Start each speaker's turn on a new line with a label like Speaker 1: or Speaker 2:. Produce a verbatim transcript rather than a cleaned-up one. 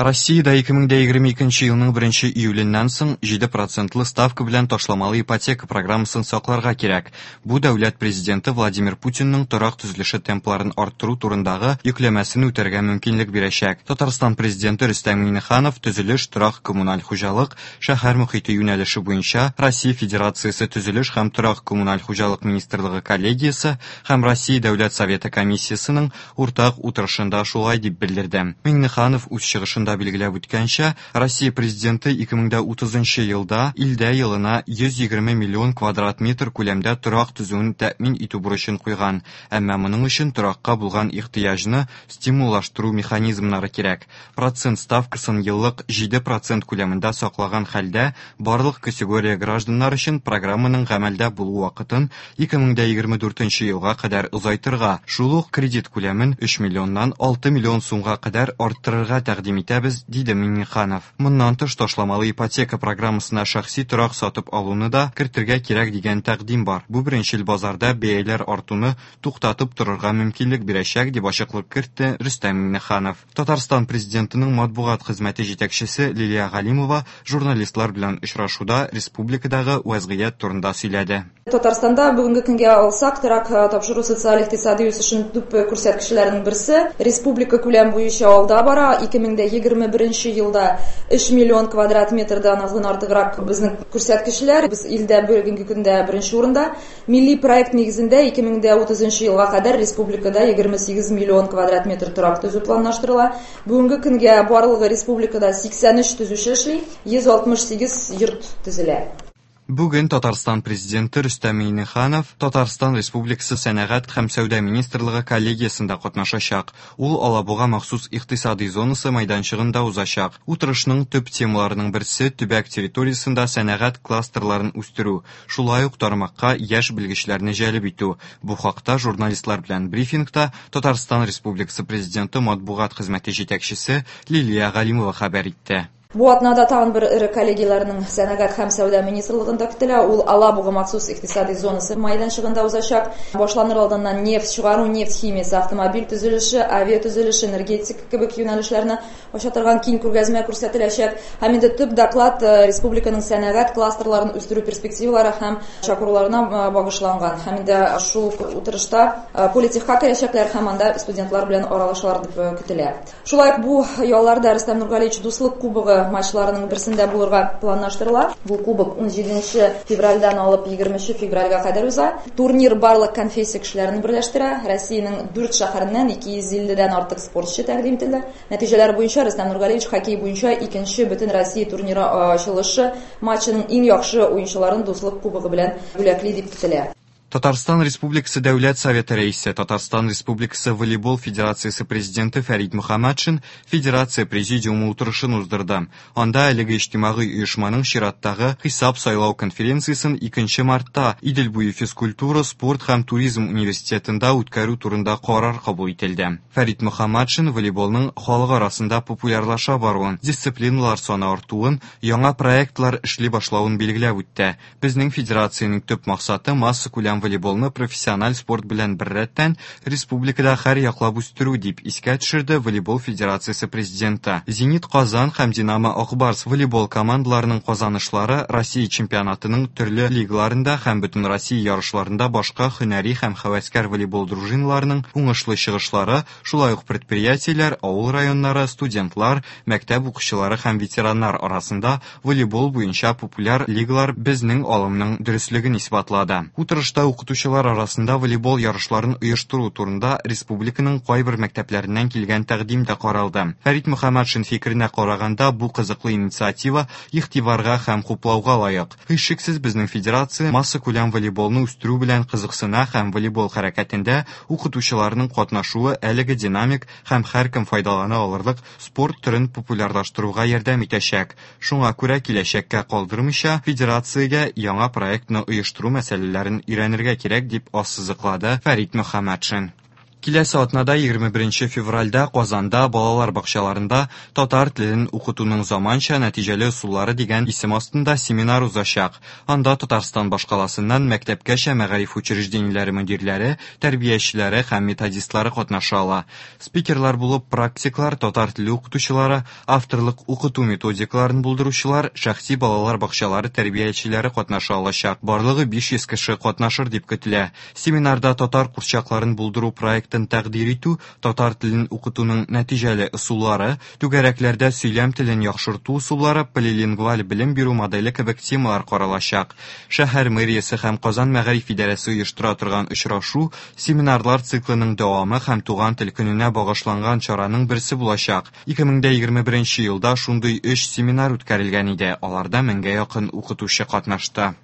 Speaker 1: Россиядә ике мең дә егерме икенче елның беренче июленнән соң җиде процентлы ставка белән ташламалы ипотека программасын сакларга кирәк. Бу дәүләт президенты Владимир Путинның торак төзелеше темпларын арттыру турындагы йөкләмәсен үтәргә мөмкинлек бирәчәк. Татарстан президенты Рөстәм Миңнеханов төзелеш, торак, коммуналь хуҗалык, шәһәр мөхите юнәлеше буенча Россия Федерациясе төзелеш һәм торак коммуналь хуҗалык министрлыгы коллегиясе һәм Россия Дәүләт Советы комиссиясенең уртак утырышында шулай дип белдерде. Миңнеханов үз чыгышында билгеләп үткәнчә, Россия президенты ике мең дә утызынчы елда илдә елына йөз егерме миллион квадрат метр күләмдә торак төзүен тәэмин итү бурычын куйган. Әмма моның өчен торакка булган ихтыяҗны стимуллаштыру механизмнары кирәк. Процент ставкасын еллык җиде процент күләмендә саклаган хәлдә барлык категория гражданнар өчен программаның гамәлдә булу вакытын ике мең дә егерме дүртенче елга кадәр озайтырга, шул ук кредит күләмен өч миллионнан алты миллион сумга кадәр арттырырга тәкъдим итәбез, диде Миңнеханов. Моннан тыш ташламалы ипотека программасына шәхси торак сатып алуны да кертергә кирәк дигән тәкъдим бар. Бу беренчел базарда бәяләр артуны туктатып торырга мөмкинлек бирәчәк, дип ачыклык кертте Рөстәм Миңнеханов. Татарстан президентының матбугат хезмәте җитәкчесе Лилия Галимова журналистлар белән очрашуда республикадагы вазгыять турында сөйләде.
Speaker 2: Татарстанда бүгенге көнгә алсак, торак тапшыру социаль икътисади үсешенең төп күрсәткечләренең берсе. Республика күләм буенча алда бара. Ике мең дә егерме беренче елда өч миллион квадрат метрдан артыграк безнең күрсәткечләр. Без илдә бүгенге көндә беренче урында. Милли проект нигезендә ике мең дә утызынчы елга кадәр республикада егерме сигез миллион квадрат метр торак төзү планлаштырыла. Бүгенге көнгә барлыгы республикада сиксән өч төзүче эшли, йөз алтмыш сигез йорт төзелә.
Speaker 1: Бүген Татарстан президенты Рөстәм Миңнеханов Татарстан Республикасы Сәнәгать һәм Сәүдә министрлыгы коллегиясендә катнашачак. Ул Алабуга махсус икътисади зонасы мәйданчыгында узачак. Утырышның төп темаларының берсе төбәк территориясендә сәнәгать кластерларын үстерү, шулай ук тармакка яшь белгечләрне җәлеп итү. Бу хакта журналистлар белән брифингта Татарстан Республикасы президенты матбугат хезмәте җитәкчесе Лилия Галимова хәбәр итте.
Speaker 2: Бу атнада тагын бер эре коллегияләрнең Сәнәгать һәм Сәүдә министрлыгында көтелә. Ул Алабуга махсус икътисади зонасы мәйданчыгында узачак. Башланыр алдыннан нефть чыгару, нефть химиясе, автомобиль төзелеше, авиа төзелеше, энергетика кебек юнәлешләрне ача торган киң күргәзмә күрсәтеләчәк. Һәм инде төп доклад, э, республиканың сәнәгать кластерларын үстерү перспективалары һәм чакыруларына, э, багышланган. Һәм инде шул утырышта, э, политехка керәчәкләр һәм анда студентлар белән аралашалар дип, э, көтелә. Шулай ук бу ялларда Рөстәм Нургалиевич Дуслык кубогы матчларының берсендә булырга планлаштырыла. Бу кубок ун җиденче февральдән алып егерменче февральгә кадәр уза. Турнир барлык конфессия кешеләрен берләштерә. Россиянең дүрт шәһәреннән ике йөз илледән артык спортчы тәкъдим ителде. Нәтиҗәләр буенча Рөстәм Нургалиевич хоккей буенча икенче бөтен Россия турниры ачылышы матчының иң яхшы уенчыларын Дуслык кубогы белән бүләкли дип көтелә.
Speaker 1: Татарстан Республикасы Дәүләт Советы рәисе, Татарстан Республикасы Волейбол Федерациясе президенты Фәрид Мөхәммәтшин Федерация президиумы утырышын уздырды. Анда әлеге иҗтимагый оешманың чираттагы хисап сайлау конференциясен икенче мартта Идел буе физкультура, спорт һәм туризм университетында үткәрү турында карар кабул ителде. Фәрид Мөхәммәтшин волейболның халык арасында популярлаша баруын, дисциплиналар саны артуын, яңа проектлар эшли башлавын билгеләп үтте. Безнең федерациянең төп максаты массакүләм волейболны профессиональ спорт белән беррәттән республикада һәр яклап үстерү, дип искә төшерде Волейбол Федерациясе президенты. Зенит Казан һәм Динамо Акбарс волейбол командаларының казанышлары Россия чемпионатының төрле лигаларында һәм бөтен Россия ярышларында башка һөнәри һәм һәвәскәр волейбол дружиналарының уңышлы чыгышлары, шулай ук предприятиеләр, авыл районнары, студентлар, мәктәп укучылары һәм ветераннар арасында волейбол буенча популяр лигалар безнең алымның дөреслеген исбатлады. Утырышта укытучылар арасында волейбол ярышларын оештыру турында республиканың кайбер мәктәпләреннән килгән тәкъдим дә каралды. Фәрид Мөхәммәтшин фикеренә караганда, бу кызыклы инициатива игътибарга һәм хуплауга лаек. Һичшиксез, безнең федерация массакүләм волейболны үстерү белән кызыксына һәм волейбол хәрәкәтендә укытучыларның катнашуы әлеге динамик һәм һәркем файдалана алырлык спорт төрен популярлаштыруга ярдәм итәчәк. Шуңа күрә киләчәккә калдырмыйча федерациягә яңа проектны оештыру мәсьәләләрен өйрәнергә кирәк, дип ассызыклады Фәрид Мөхәммәтшин. Киләсе атнада, егерме беренче февральдә, Казанда балалар бакчаларында татар телен укытуның заманча нәтиҗәле ысуллары дигән исем астында семинар узачак. Анда Татарстан башкаласыннан мәктәпкәчә мәгариф учреждениеләре мөдирләре, тәрбиячеләре һәм методистлары катнаша ала. Спикерлар булып практиклар, татар теле укытучылары, авторлык укыту методикаларын булдыручылар, шәхси балалар бакчалары тәрбиячеләре катнаша алачак. Барлыгы биш йөз кеше катнашыр дип көтелә. Семинарда татар курчакларын булдыру проектын тәкъдир итү, татар телен укытуның нәтиҗәле ысуллары, түгәрәкләрдә сөйләм телен яхшырту ысуллары, полилингваль белем бирү моделе кебек темалар каралачак. Шәһәр мэриясе һәм Казан мәгариф идарәсе оештыра торган очрашу семинарлар циклының дәвамы һәм туган тел көненә багышланган чараның берсе булачак. Ике мең дә егерме беренче елда шундый өч семинар үткәрелгән иде. Аларда меңгә якын укытучы катнашты.